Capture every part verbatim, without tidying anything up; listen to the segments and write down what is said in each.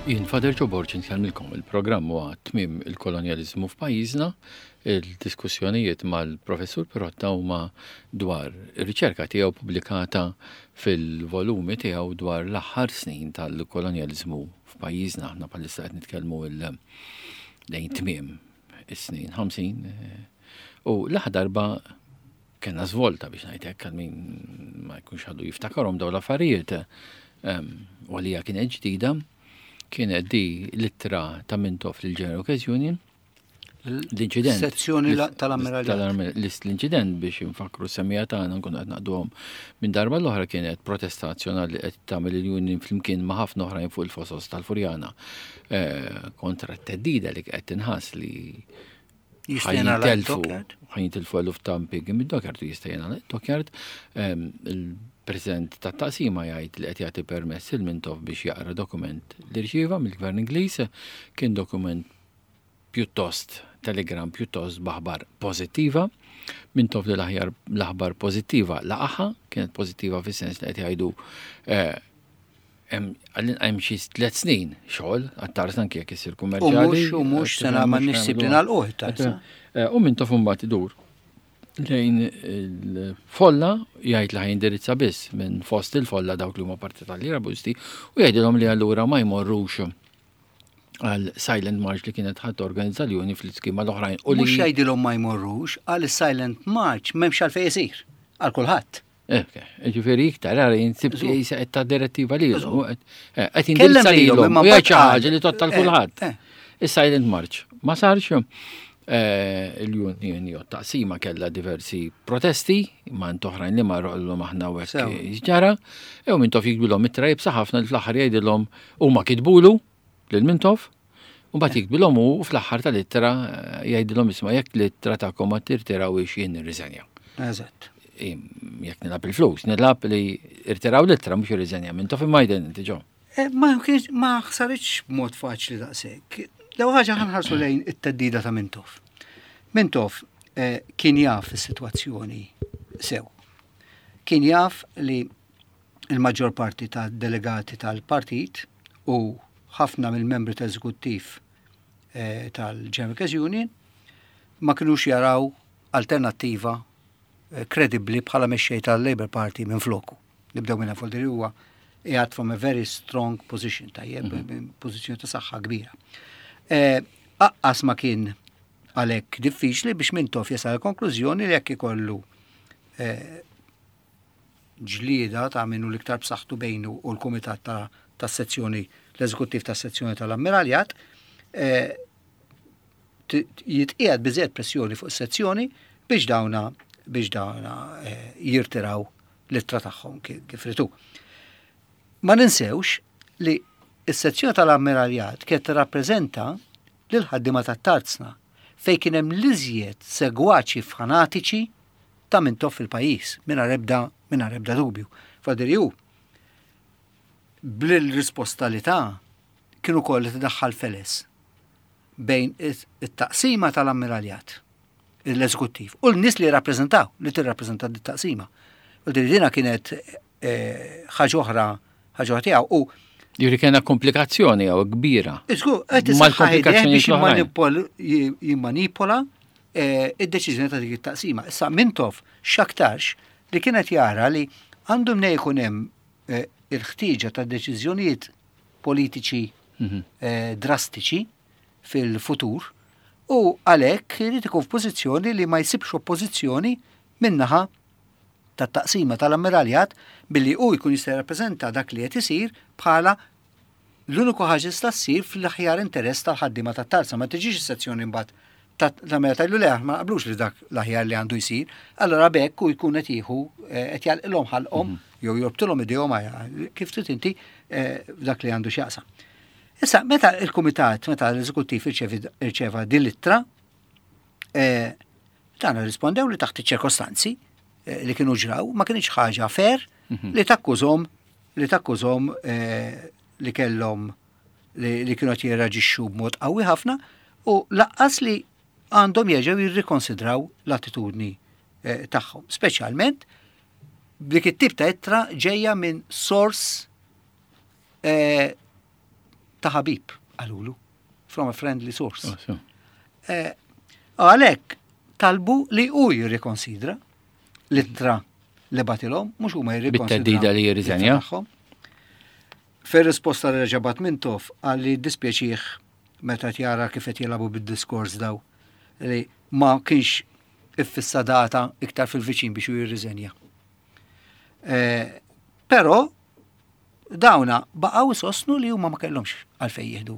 Jien Father Joe Borg nkellmilkom. Il-programm huwa Tmiem il-Kolonjaliżmu f'pajjiżna. Il-diskussjonijiet mal-Professur Pirotta huma dwar ir-riċerka tiegħu pubblikata fil-volumi tiegħu dwar l-aħħar snin tal-kolonjaliżmu f'pajjiżna. Aħna bħalissa qed nitkellmu lejn tmiem is-snin ħamsin u l-aħħar darba kellna żvolta, biex ngħid hekk, għal min ma jkunx għadu jiftakarhom dawn l-affarijiet u għalija kienet ġdida, kienet di l-ittra ta' Mintoff lil General Workers Union. L-inċident. Sezzjoni tal-Ammiraljat. L-inċident, biex infakru s-semmiegħa tagħna, nkunu qed naqduhom minn darba l-oħra, kienet protesta nazzjonali qed tagħmel il-union flimkien ma' ħafna oħrajn fuq il-fosos tal-Furjana eh, kontra t-theddida li qed tinħass li ħa jintilfu ħa jintilfu eluf ta' impjiegi mid-dockyard u jista' jingħalaq dockyard. Il-President tat-taqsima jgħid li qed jagħti permess lil Mintoff biex jaqra dokument li rċieva mill-Gvern Ingliż. Kien dokument pjuttost, telegram pjuttost b'aħbar pożittiva. Mintoff li l-aħjar l-aħbar pożittiva laqaha, kienet pożittiva fis-sens li qed jgħidu eh, hemm xi tliet snin xogħol għat-tarzna anke jekk isir U kummerċjali. mhux u mhux sena ma nixsib li nagħlquh it-tarzna. Eh, U Mintoff mbagħad idur lejn il-folla, jgħid li ħa jindirizza biss minn fost il-folla dawk li huma partitarji Laburisti u jgħidilhom li allura ma jmorrux għal Silent March li kienet ħa torganizza l-union fl-iskema l-oħrajn. U li Mhux jgħidilhom ma jmorrux, għal Silent March m'hemmx għalfejn isir għal kulħadd. Ġifieri iktar, għara jinsib jisa qed ta' direttiva li qed Kellem jindirizza lilhom, lilhom imma u jgħid xi mbagħad qal- ħaġa li tgħodd għal eh, kulħadd. eh. Is-Silent March ma sarx, eh, il-union jew taqsima kellha diversi protesti ma' oħrajn li marru qallhom aħna u hekk Sew. ġara, u Mintoff jiktbilhom ittra iebsa ħafna li fl-aħħar jgħidilhom, huma kitbulu lil Mintoff, u mbagħad jiktbilhom u fl-aħħar tal-ittra eh, jgħidilhom, "Isma', jekk l-ittra tagħkom ma tirtirawhiex, jien nirriżenja." Eżatt. Jekk nilgħab il-flus, nilgħab li irtiraw l-ittra, mhux irriżenja Mintoff, imma jden inti ġo. Eh, Ma kienx, ma saritx b'mod faċli daqshekk. L-ewwel ħaġa, ħa nħarsu lejn it-theddida ta' Mintoff. Mintoff eh, kien jaf is-sitwazzjoni sew. Kien jaf li il-maġġor parti ta' delegati tal-partit u ħafna mill-membri tal-eżekuttiv eh, tal-General Workers Union ma kinux jaraw alternattiva eh, kredibbli bħala mexxej tal-Labour Party minn floku. Nibdew minn fuq li huwa qiegħed from a very strong position, tajjeb, mm pożizzjoni ta' saħħa kbira. Eh, Aqqas ma kien għalhekk diffiċli biex Mintoff jasal konklużjoni li jekk ikollu eh, ġlieda ta' minnu l-iktar b'saħħtu bejnu u l-kumitat ta' ta' sezzjoni, l-eżekuttiv ta' sezzjoni tal-Ammiraljat, eh, t- jitqiegħed biżejjed pressjoni fuq is-sezzjoni biex dawna biex dawna eh, jirtiraw l-ittra tagħhom ki- kif ritu. Ma ninsewx li s-sezzjoni tal-Ammiraljat kienet tirrappreżenta lil ħaddiema tat-tarzna, fejn kien hemm l-iżjed segwaċi fanatiċi ta' Mintoff fil-pajjiż, mingħajr ebda mingħajr ebda dubju. Fadiri hu bil-risposta li ta' kienu koll li tdaħħal feles bejn it-taqsima tal-Ammiraljat, l-eżekuttiv, u l-nies li rappreżentaw, li tirrappreżenta t-taqsima. U dina kienet eh, ħaġa oħra, ħaġa oħra tiegħu. U Juri kena komplikazzjoni għaw kbira. Iżgur, qed Mal-komplikazzjonijiet biex l-oħrajn. jimmanipol- jimmanipola eh, id-deċiżjoni ta' dik it-taqsima. Issa Mintoff x'aktarx li kienet jara li għandu mnej jkun hemm eh, il-ħtieġa ta' deċiżjonijiet politiċi Mhm. eh, drastiċi fil-futur u għalhekk irid ikun f'pożizzjoni li ma jsibx oppożizzjoni min-naħa tat-taqsima tal-Ammiraljat, billi hu jkun jista' jirrappreżenta dak li qed isir bħala l-uniku ħaġa tista' ssir fl-aħjar interess tal-ħaddiema tat-tarzna. Ma tiġix is-sezzjoni mbagħad ta' mela tgħidlu, "Le, ma naqblux li dak l-aħjar li għandu jsir." Allora b'hekk u jkun qed jieħu eh, qed jagħlqilhom ħalqhom jew jorbtulhom idejhom, kif trid inti, eh, f'dak li għandu x'jaqsam. Issa, meta il-kumitat, meta l-eżekuttiv irċeva din l-ittra, eh, dan rispondew li taħt iċ-ċirkostanzi eh, li kienu ġraw, ma kienx ħaġa fair li takkużhom li takkużhom eh, li kellhom li, li kienu qed jirraġixxu b'mod qawwi ħafna u lanqas li għandhom jerġgħu jirrikonsidraw l-attitudni eh, tagħhom, speċjalment b'dik it-tip ta' ittra ġejja minn sors eh, ta' ħabib, qalulu, from a friendly source. Oh, so. Eh, Għalhekk talbu li hu jirrikonsidra l-ittra li bagħtilhom, mhux huma jirrikonsidraw. Bit-theddida li jirriżenja. l-ittra tagħhom. Fir-risposta li reġa' bagħat Mintoff qal li dispjaċih meta jara kif qed jilagħbu bid-diskors daw li ma kienx iffissa data iktar fil-viċin biex hu jirriżenja. Eh, Però dawna baqgħu sostnu li huma ma kellhomx għalfejn jieħdu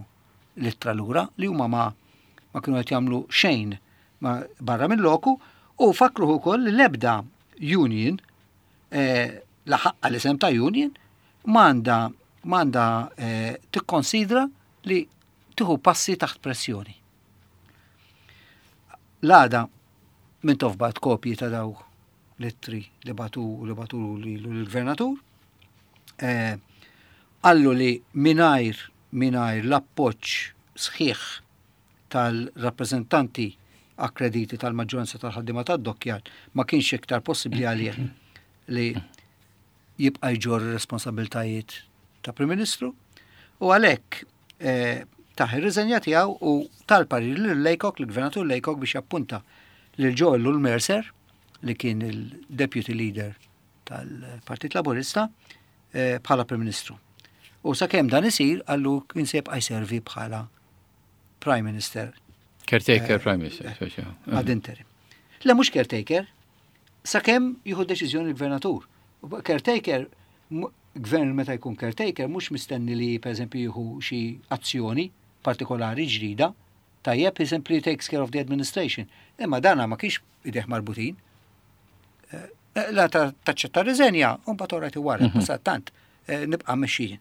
l-ittra lura, li huma ma ma kienu qed jagħmlu xejn ma barra minn loku u fakruh ukoll li l-ebda union eh, la ħaqqa l-isem ta' union m'għandha m'għandha eh, tikkonsidra li tieħu passi taħt pressjoni. L-għada Mintoff bagħat kopji ta' daw l-ittri li bagħtu li bagħtu l-gvernatur. Eh, Qallu li mingħajr mingħajr l-appoġġ sħiħ tal-rappreżentanti akkrediti tal-maġġoranza tal-ħaddiema tad-dockyard ma kienx iktar possibbli għalih li jibqa' jġorr responsabiltajiet ta' Prim Ministru u għalhekk eh, taħ ir-riżenja tiegħu u tal-parir lil Laycock, l-Gvernatur Laycock, biex jappunta lil Joe Ellul Mercer, li kien il-Deputy Leader tal-Partit Laburista, eh, bħala Prim Ministru. U sakemm dan isir, qallu kien se jibqa' jservi bħala Prime Minister. Caretaker Prime Minister. Speċi. Ad interim. Le, mhux caretaker, sakemm jieħu deċiżjoni l-gvernatur. Caretaker, mu- gvern meta jkun caretaker, mhux mistenni li per eżempju jieħu xi azzjoni partikolari ġdida, tajjeb, he simply takes care of the administration. Imma dana ma kienx idejh marbutin. Eh, La ta' taċċetta riżenja, u mbagħad orajt wara, tant eh, nibqa' mexxijin.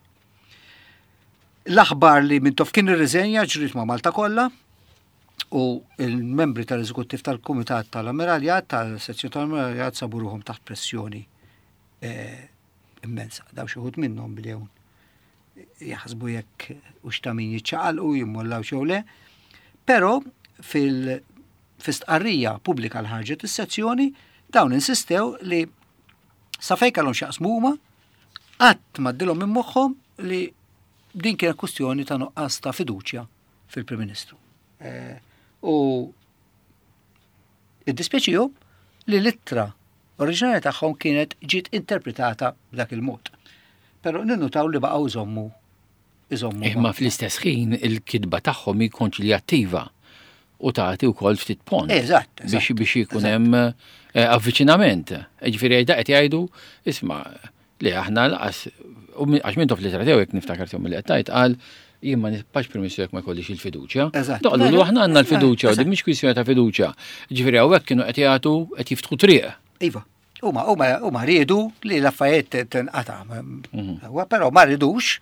L-aħbar li Mintoff kien irriżenja ġrit ma' Malta kollha u il-membri tal-eżekuttiv tal-Kumitat tal-Ammiraljat, tal-sezzjoni tal-Ammiraljat, sabu ruħhom taħt pressjoni eh, immensa. Daw xi wħud minnhom bdew jaħsbu jekk u ta' min jiċċaqalqu, jimmollaw xew le. Però fil fistqarrija pubblika l ħarġet is-sezzjoni, dawn insistew li sa fejn kellhom x'jaqsmu huma qatt m'għaddilhom minn moħħhom li din kienet kwestjoni ta' nuqqas ta' fiduċja fil-Prim Ministru. Eh, U iddispjaċihom li l-ittra oriġinali tagħhom kienet ġiet interpretata b'dak il-mod. Però ninnutaw li baqgħu jżommu iżommu. Imma fl-istess ħin il-kitba tagħhom hi konċiljattiva u tagħti wkoll ftit pont. Eżatt, eżatt, Biex biex ikun hemm eh, avviċinament. Ġifieri da qed jgħidu, isma', li aħna laqas u min- għax Mintoff fl-ittra tiegħu, jekk niftakar sew milli qed tgħid, qal jien ma nibqax Prim Ministru jekk ma jkollix il-fiduċja. Eżatt. Doqlu li aħna għandna l-fiduċja u Eżatt. din mhix kwistjoni ta' fiduċja. Ġifieri hawnhekk kienu qed jagħtu, qed jiftħu triq. Iva, huma huma huma riedu li l-affarijiet tinqata'. Huwa però ma ridux,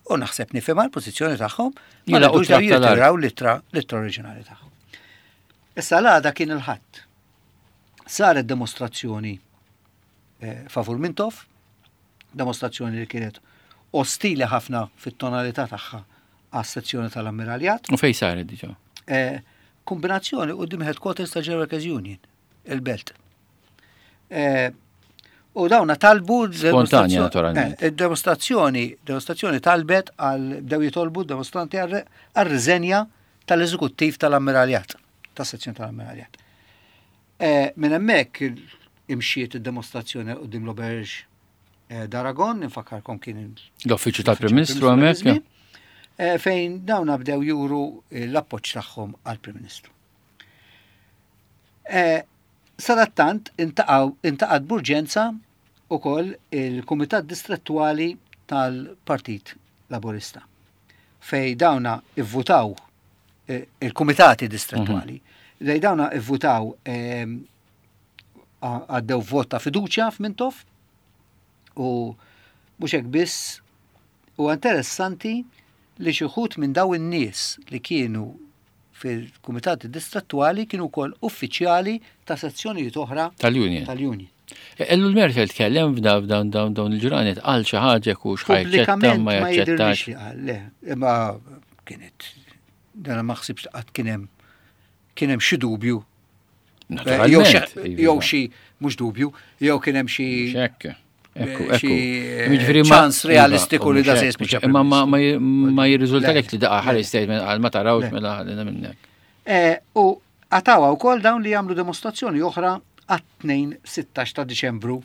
u naħseb nifhimha l-pożizzjoni tagħhom, ma Jilaqgħu ridux daw tratt tal-art. jirtiraw l-ittra l-ittra oriġinali tagħhom. Issa l-għada kien il-Ħadd. Saret demostrazzjoni eh, favur Mintoff, demostrazzjoni li kienet ostili ħafna fit-tonalità tagħha għas-sezzjoni tal-Ammiraljat. U fej saret diġà? Eh, kombinazzjoni quddiem headquarters ta' General Workers Union, il-Belt. Eh, u dawna talbu Spontanja, naturalment. Eh, il-demostrazzjoni, demostrazzjoni talbet għal, bdew jitolbu demostranti għal riżenja tal-eżekuttiv tal-Ammiraljat, tas-sezzjoni tal-Ammiraljat. Eh, Minn hemmhekk imxiet id-demostrazzjoni quddiem l-Auberge eh, d'Aragon, nfakkarkom kien il- L-uffiċċju tal-Prim Ministru hemmhekk. Eh, fejn dawna bdew juru l-appoġġ tagħhom għall-Prim Ministru. Eh, Sadattant intaqgħat b'urġenza ukoll il-Kumitat Distrettuali tal-Partit Laburista fej dawna ivvutaw, eh, il-Kumitati Distrettuali, fej dawna ivvutaw, ehm, għaddew vot ta' fiduċja f'Mintoff. U mhux hekk biss, u interessanti li xi wħud minn daw in-nies li kienu fil-kumitati distrettuali kienu wkoll uffiċjali ta' sezzjonijiet oħra tal-Union. Tal-Union. Ellul Mercer tkellem f'dawn dawn dawn dawn il-ġranet, qal xi ħaġa u x'ħa jaċċetta Pubblikament ma ma jidirlix jaċċettax? li qal, le, imma kienet dana ma ħsibx li qatt kien hemm kien hemm xi dubju. Eh, Jew xi Naturalment. jew xi mhux dubju, jew kien hemm xi Mhux hekk. Xi ċans realistiku li da se jispiċċa. Imma ma jirriżulta lek li daqqa ħareġ statement għal ma tarawx mela ħalina minnek. U għatawa wkoll dawn li jagħmlu demonstrazzjoni oħra għat-tnejn sittax ta' Diċembru.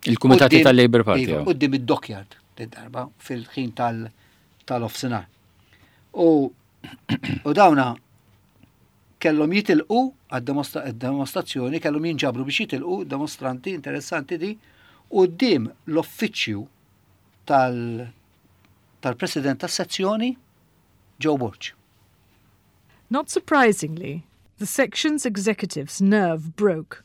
Il-Kumitati tal-Labour Party. Quddiem id-Dockyard darba fil-ħin tal-offsinar. U dawna kellhom jitilqu għad-demonstrazzjoni, kellhom jinġabru biex jitilqu demonstranti interessanti di quddiem l-uffiċċju tal-president tas-sezzjoni Joe Borg. Not surprisingly, the section's executive's nerve broke.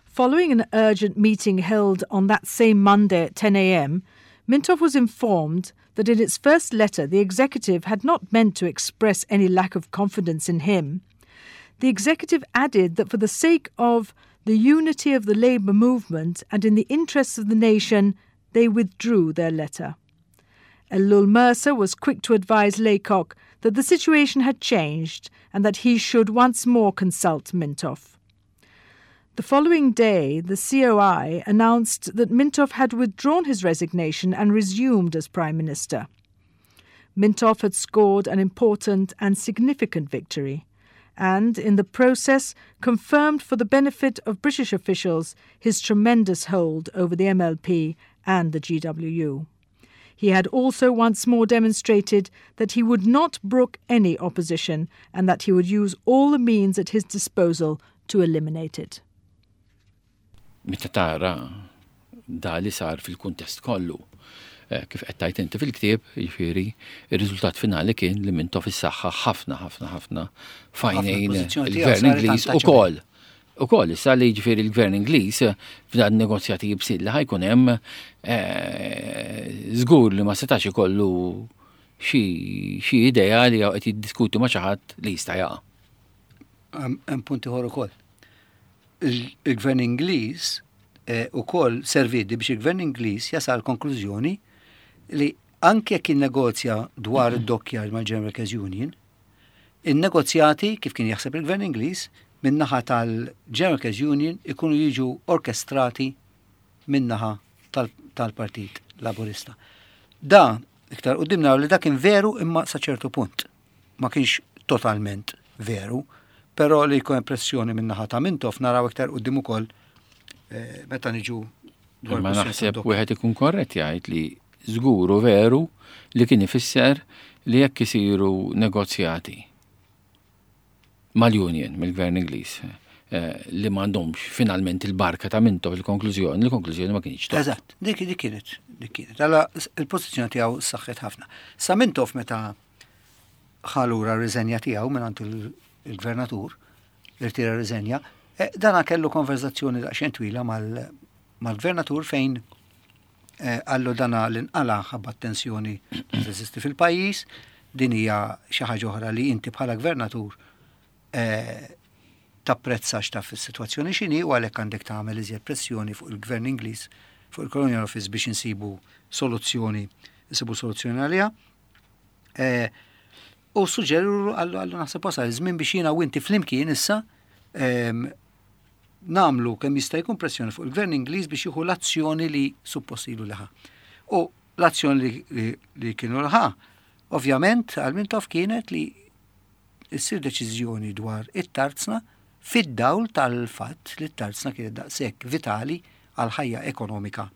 Following an urgent meeting held on that same Monday at ten a m, Mintoff was informed that in its first letter the executive had not meant to express any lack of confidence in him. The executive added that for the sake of the unity of the labour movement and in the interests of the nation, they withdrew their letter. Ellul Mercer was quick to advise Laycock that the situation had changed and that he should once more consult Mintoff. The following day, the C O I announced that Mintoff had withdrawn his resignation and resumed as Prime Minister. Mintoff had scored an important and significant victory, and in the process confirmed for the benefit of British officials his tremendous hold over the M L P and the G W U. He had also once more demonstrated that he would not brook any opposition and that he would use all the means at his disposal to eliminate it. Meta tara da li sar fil-kuntest kollu, eh, kif qed tgħid inti fil-ktieb, jiġifieri, ir-riżultat finali kien li Mintoff issaħħaħ ħafna ħafna ħafna f'għajnejn il-gvern Ingliż ukoll. Ukoll issa li jiġifieri l-gvern Ingliż f'dan negozjati jibsil li ħa jkun hemm, eh, żgur li ma setax ikollu xi idea li qed jiddiskuti ma' xi ħadd li jista' jaqa'. Hemm punti ieħor ukoll. Il-gvern Ingliż eh, ukoll servidi biex il-gvern Ingliż jasal konklużjoni li anke jekk innegozja dwar id-dockyard mal-General Workers Union, in-negozjati, kif kien jaħseb il-gvern Ingliż, min-naħa tal-General Workers Union ikunu jiġu orkestrati min-naħa tal-Partit Laburista. Da, iktar quddiem li da kien veru imma sa ċertu punt. Ma kienx totalment veru, però li jkun pressjoni min-naħa ta' Mintoff naraw iktar quddiem ukoll eh, meta niġu dwar Ma naħseb wieħed ikun korrett jgħid li żguru veru li kien ifisser li jekk isiru negozjati mal-Union, mill-Gvern Ingliż, eh, li m'għandhomx finalment il-barka ta' Mintoff il-konklużjoni, il-konklużjoni ma kienx. Eżatt, dik dik kienet, dik kienet. Alla il-pożizzjoni tiegħu saħħet ħafna. Sa Mintoff meta ħa lura r-riżenja tiegħu minn il-gvernatur, irtira riżenja, eh, dana kellu konverzazzjoni daqsxejn twila mal-gvernatur fejn eh, qallu dana l-inqala ħabba tensjoni li teżisti fil-pajjiż, din hija xi ħaġa oħra li inti bħala gvernatur eh, tapprezza x'taf fis-sitwazzjoni x'inhi u għalhekk għandek tagħmel iżjed pressjoni fuq il-gvern Ingliż, fuq il-Colonial Office biex insibu soluzzjoni, insibu soluzzjoni għaliha. U suġġeru qallu qallu naħseb wasal iż-żmien biex jiena u inti flimkien issa nagħmlu kemm jista' jkun pressjoni fuq il-gvern Ingliż biex jieħu l-azzjoni li suppost ilu li ħa. U l-azzjoni li, li kienu ħa, ovvjament, għal Mintoff kienet li issir deċiżjoni dwar it-tarzna fid-dawl tal-fatt li t-tarzna kienet daqshekk vitali għal ħajja ekonomika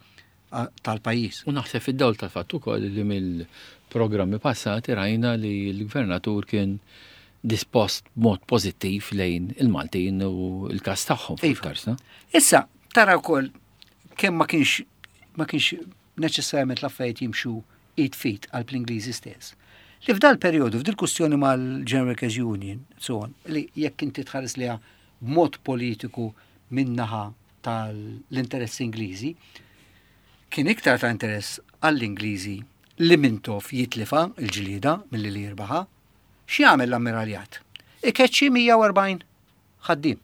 tal-pajjiż. U naħseb fid-dawl tal-fatt ukoll li mill-programmi passati rajna li l-gvernatur kien dispost mod pożittiv lejn il-Maltin u l-kas tagħhom Iva. fuq. Issa, tara wkoll kemm ma kienx ma kienx neċessarjament l-affarijiet jimxu id f'id għal l-Ingliżi stess. Li f'dal periodu, f'dil kustjoni mal-General Workers Union, so on, li jekk inti tħares liha b'mod politiku min-naħa tal-interess Ingliżi, kien iktar ta' interess għall-Ingliżi li Mintoff jitlifa il-ġlieda milli li jirbaħa. X'jagħmel l-ammiraljat? Ikeċċi mija u erbgħin ħaddiem.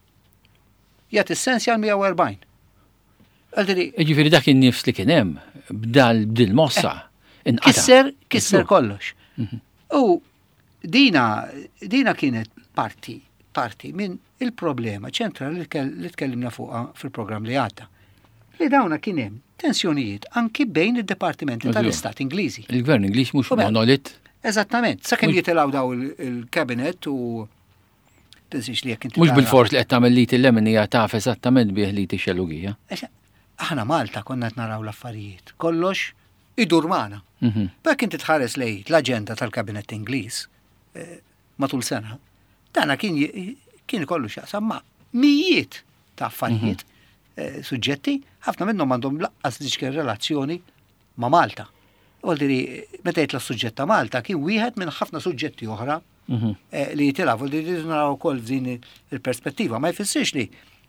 Jagħti s-sensja għal mija u erbgħin. Għaldiri, Ġifieri dak in-nifs li kien hemm b'dal b'dil mossa inqata'. Kisser, kisser kollox. U dina, dina kienet parti, parti minn il-problema ċentrali li tkell- li tkellimna fuqha fil-programm li għadda. Li dawna kien hemm tensjonijiet anki bejn id-departimenti tal-Istat Ingliżi. Il-Gvern Ingliż mhux monolit. Eżattament, sakemm jitilgħu daw il-cabinet u tinsiex li jekk inti. Mhux bil-fors li qed tagħmel li il-lemin hija taf eżattament bih li tixellugija. Aħna Malta konna qed naraw l-affarijiet. Kollox idur magħna. Mhm. Bek inti tħares lejn l-aġenda tal-Kabinett Ingliż eh, matul sena, dana kien kien kollu x'jaqsam ma' mijiet ta' affarijiet, mhm. eh, suġġetti, ħafna minnhom għandhom lanqas dik relazzjoni ma' Malta. Voldiri, meta jitla' suġġett ta' Malta kien wieħed minn ħafna suġġetti oħra mhm. eh, li jitilgħu, voldiri naraw ukoll f'din il-perspettiva. Ma jfissirx li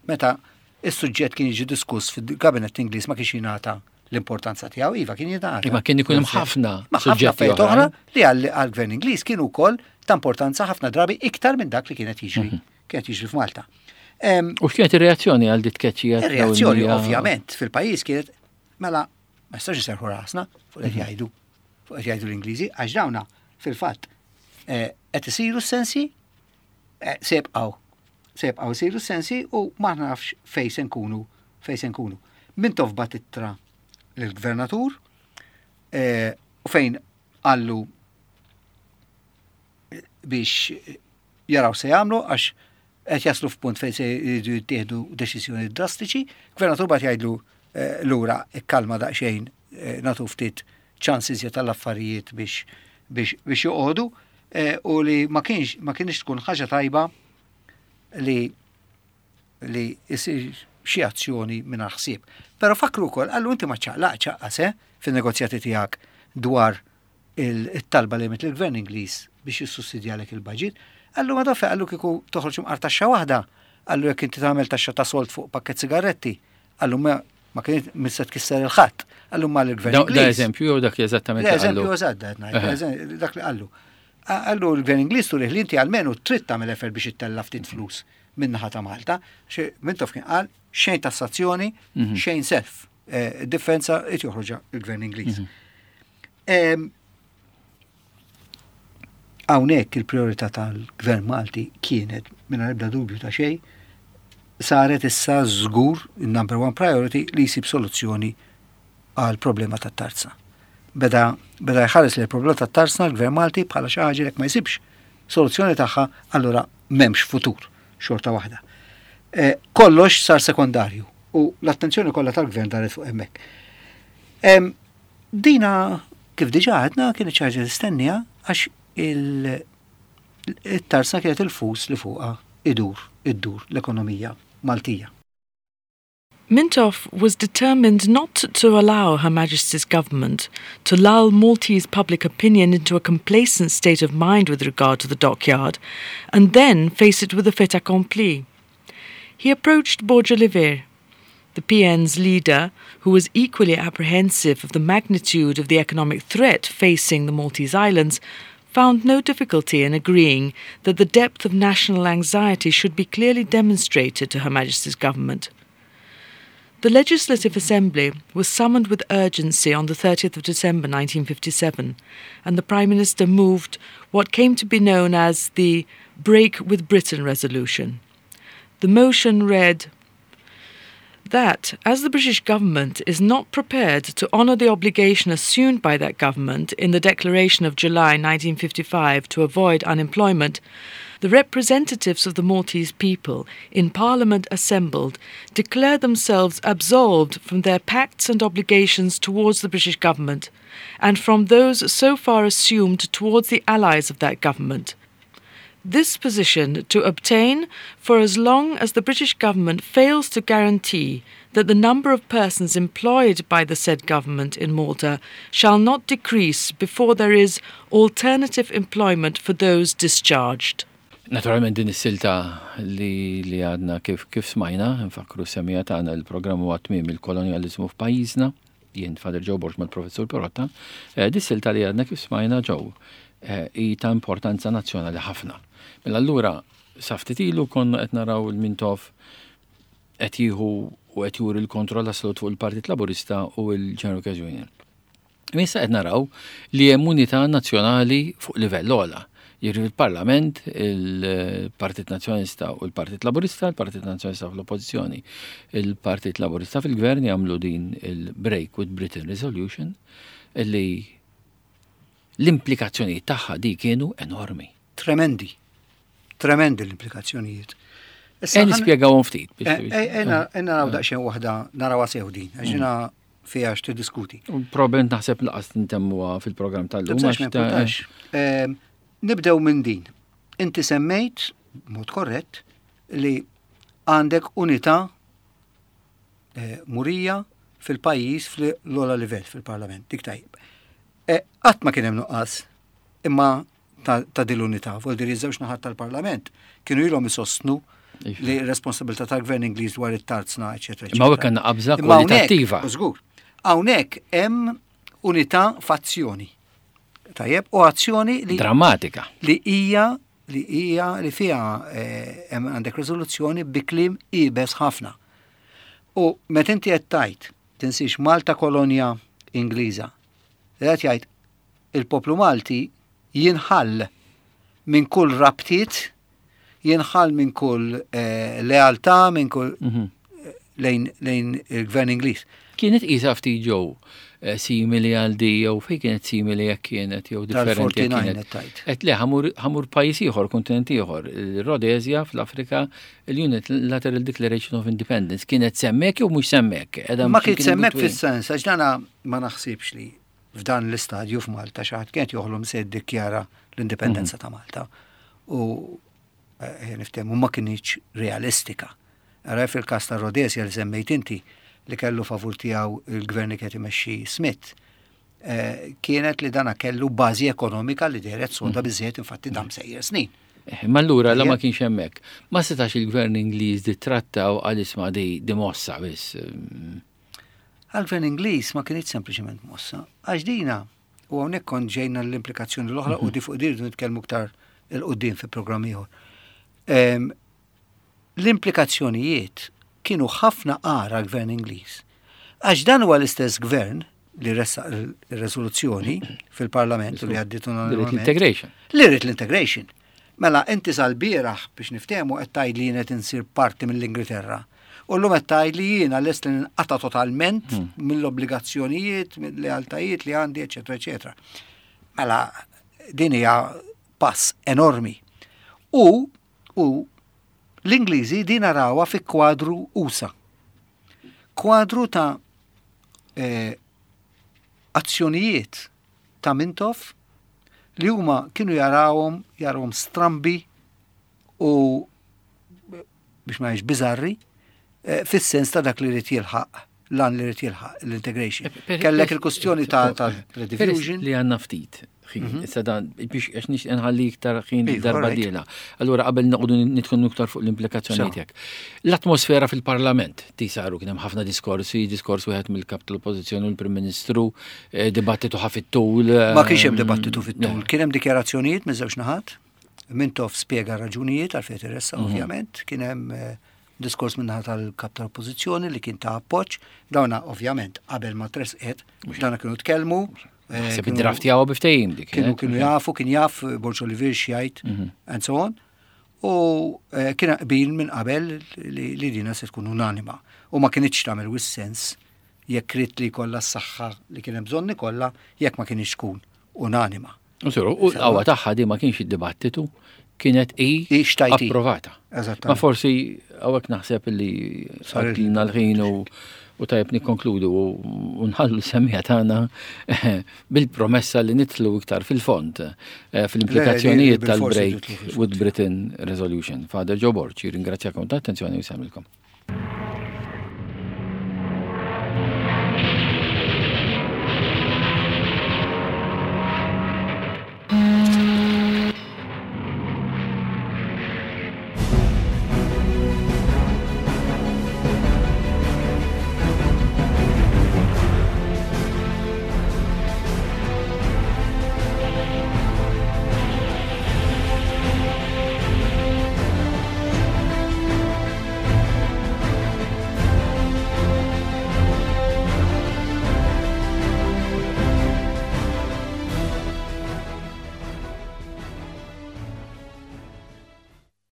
meta is-suġġett kien jiġi diskuss fil-Kabinett Ingliż ma kienx jingħata l-importanza tiegħu, iva kien jingħata. Imma kien ikun hemm ħafna suġġetti oħra li għall-Gvern Ingliż kienu wkoll ta' importanza ħafna drabi iktar minn dak li kienet jiġri mhm. kienet jiġri f'Malta. U x'kienet ir-reazzjoni għal dit tkeċċija? Ir-reazzjoni ovvjament fil-pajjiż kienet mela ma jistax iserħu rasna fuq qed mhm. jgħidu fuq qed jgħidu l-Ingliżi għax dawna fil-fatt eh, qed isiru s-sensi eh, se jibqgħu se jibqgħu isiru s-sensi u ma nafx fejn se nkunu fejn se nkunu. Mintoff bagħat ittra lill-gvernatur eh, u fejn qallu biex jaraw se jagħmlu għax qed jaslu f'punt fejn se jridu jittieħdu deċiżjoni drastiċi. Gvernatur bagħat jgħidlu eh, lura ikkalma daqsxejn eh, nagħtu ftit ċansi tal-affarijiet biex biex biex joqogħdu eh, u li ma kienx ma kienx tkun ħaġa tajba li li isir xi azzjoni minn ħsieb. Però fakru wkoll qallu inti ma ċaqlaq ċaqqas eh, fin-negozjati tiegħek dwar il-talba li għamilt il-gvern Ingliż biex jissussidjalek il-budget. Qallu ma doffe, qallu kieku toħroġ imqar taxxa waħda, qallu jekk inti tagħmel taxxa ta' sold fuq pakket sigaretti, qallu ma ma kienet mista tkisser il-ħadd, qallu ma l-gvern Da da eżempju jew dak li eżattament li eżempju qallu. Eżatt, qed ngħid, dak li qallu. Qallu l-gvern Ingliż turih li inti almenu trid tagħmel effort biex ittella ftit flus min-naħa ta' Malta. Xi Mintoff kien qal xejn tassazzjoni, Mhm. xejn self. Eh, Differenza qed joħroġha il-gvern Ingliż. Em, Hawnhekk il-priorità tal-gvern Malti kienet mingħajr ebda dubju ta' xejn saret issa żgur il-number one priority li jsib soluzzjoni għal problema tat-tarzna. Beda beda jħares li l-problema tat-tarzna l-gvern Malti bħala xi ħaġa li jekk ma jsibx soluzzjoni tagħha allura m'hemmx futur xorta waħda. Eh, kollox sar sekondarju u l-attenzjoni kollha tal-gvern daret fuq hemmhekk. Em, Dina kif diġà għedna kienet xi ħaġa tistennija għax il- it-tarzna kienet il-fus li fuqha idur, iddur l-ekonomija Maltija. Mintoff was determined not to allow Her Majesty's government to lull Maltese public opinion into a complacent state of mind with regard to the dockyard, and then face it with a fait accompli. He approached Borg Olivier, the P N's leader, who was equally apprehensive of the magnitude of the economic threat facing the Maltese Islands, found no difficulty in agreeing that the depth of national anxiety should be clearly demonstrated to Her Majesty's government. The Legislative Assembly was summoned with urgency on the thirtieth of December nineteen fifty-seven, and the Prime Minister moved what came to be known as the Break with Britain resolution. The motion read that, as the British government is not prepared to honour the obligation assumed by that government in the Declaration of July nineteen fifty-five to avoid unemployment, the representatives of the Maltese people in Parliament assembled declare themselves absolved from their pacts and obligations towards the British government and from those so far assumed towards the allies of that government. This position to obtain for as long as the British government fails to guarantee that the number of persons employed by the said government in Malta shall not decrease before there is alternative employment for those discharged. Naturalment din is-silta li, li għadna kif, kif smajna, nfakru semija tagħna il-programm huwa tmiem il-kolonjaliżmu f'pajjiżna, jien Father Joe Borg mal-Professur Pirotta, eh, dis silta li għadna kif smajna ġew eh, hi ta' importanza nazzjonali ħafna. Mela allura sa ftit ilu konna qed naraw il-Mintoff qed jieħu u qed juri l-kontroll assolut fuq il-Partit Laburista u l-General Workers Union. Issa qed naraw li hemm unità nazzjonali fuq livell ogħla. Jiġri fil-Parlament il-Partit Nazzjonalista u l-Partit Laburista, il-Partit Nazzjonalista fl-Oppożizzjoni, il-Partit Laburista fil-Gvern jagħmlu din il-Break with Britain Resolution illi l-implikazzjonijiet tagħha di kienu enormi. Tremendi. Tremendi l-implikazzjonijiet. Issa ħa nispjegawhom ftit. Ejja naraw daqsxejn waħda, narawha sew din, għax jiena fiha x'tiddiskuti. Probabbilment naħseb lanqas intemmuha fil-programm tal-lum. Nibdew minn din. Inti semmejt, mod korrett, li għandek unità murija fil-pajjiż fl-ogħla livell fil-parlament. Dik tajjeb. Qatt ma kien hemm nuqqas imma ta' din l-unità, vuol dire żewġ naħat tal-parlament kienu ilhom isostnu li responsabilità tal-gvern Ingliż dwar it-tarzna, eċetera. Imma hawnhekk għandna qabża kwalitattiva. Żgur. Hawnhekk hemm unità f'azzjoni. Tajjeb, u azzjoni li drammatika. Li hija li hija li fiha hemm għandek riżoluzzjoni bi kliem iebes ħafna. U meta inti qed tgħid tinsiex Malta kolonja Ingliża. Qed jgħid il-poplu Malti jinħall minn kull rabtiet, jinħall minn kull lealtà, minn kull lejn il-gvern Ingliż. Kienet isa ftit ġew simili għal di jew fejn kienet simili jekk kienet jew differenti kienet. Et le ħa mmur pajjiż ieħor, kontinent ieħor, il-Rhodesia fl-Afrika, il-Unilateral Declaration of Independence kienet s'hemmhekk jew mhux s'hemmhekk? Ma kienet s'hemmhekk fis-sens, għax dana ma naħsibx li f'dan l-istadju f'Malta xi ħadd kienet joħlom se jiddikjara l-indipendenza ta' Malta. U niftehmu ma kinitx realistika. Ara fil-każ ta' Rhodesia li semmejt inti li kellu favur tiegħu il-gvern li kien imexxi Smith, kienet li dana kellu bażi ekonomika li dehret soda biżejjed, infatti dam sejjer snin. Ma allura la ma kienx hemmhekk. Ma setax il-gvern Ingliż di trattaw għal isma' di di mossa biss. Għal-gvern Ingliż ma kienx sempliċement mossa. Għax dina, u hawnhekk kont ġejna l-implikazzjoni l-oħra u di fuq dirdu nitkellmu iktar 'il quddiem fi programm ieħor. L-implikazzjonijiet kienu ħafna agħar għall-gvern Ingliż. Għax dan huwa l-istess gvern li ressaq il-rezoluzzjoni fil-parlament u li għaddiet unanimament. L-integration. Li rrid l-integration. Mela inti sal-bieraħ biex niftehmu qed tgħid li jien qed insir parti mill-Ingilterra. U llum qed tgħid li jiena lest li ninqata' totalment mill-obbligazzjonijiet, mill-lealtajiet li għandi, eċetera, eċetera. Mela din hija pass enormi. U u l-Ingliżi din narawha fi kwadru usa. Kwadru ta' eh, azzjonijiet ta' Mintoff li huma kienu jarawhom jarawhom strambi u biex ma jgħidx biżarri eh, fis-sens ta' dak li rid jilħaq lan li rid jilħaq l-integration. Kellek il-kustjoni ta' ta' rediffusion. Li għandna ftit ħin. Issa dan biex għax nixtieq nħalli iktar ħin darba dieħla. Allura qabel noqogħdu nitkellmu iktar fuq l-implikazzjonijiet tiegħek. L-atmosfera fil-Parlament ti saru kien hemm ħafna diskorsi, diskors wieħed mill-kap tal-Oppożizzjoni u l-Prim Ministru, dibattitu ħa fit-tul. Ma kienx hemm dibattitu fit-tul, kien hemm dikjarazzjonijiet minn żewġ naħat. Mintoff spjega raġunijiet għalfejn irressaq ovvjament, kien hemm diskors minnaħa tal-kap tal-Oppożizzjoni li kien ta' appoġġ, dawna ovvjament qabel ma tresqet, dawna kienu tkellmu. Naħseb id-draft jaw biftejim dik. Kienu kienu jafu, kien jaf Borg Olivier x'jgħid and so on. U kien qbil minn qabel li dina se tkun unanima. U ma kinitx tagħmel wisq sens jekk ried li jkollha s-saħħa li kien hemm bżonn ikollha jekk ma kienx tkun unanima. U l-qawwa tagħha di ma kienx id-dibattitu, kienet i approvata. Ma forsi hawnhekk naħseb li għaddilna l-ħin u u tajjeb nikkonkludu u nħallu s-semmiegħa tagħna bil-promessa li nidħlu iktar fil-fond fil-implikazzjonijiet tal-Break with Britain Resolution. Father Joe Borg, ringrazzjakom ta' attenzjoni u nsellmilkom.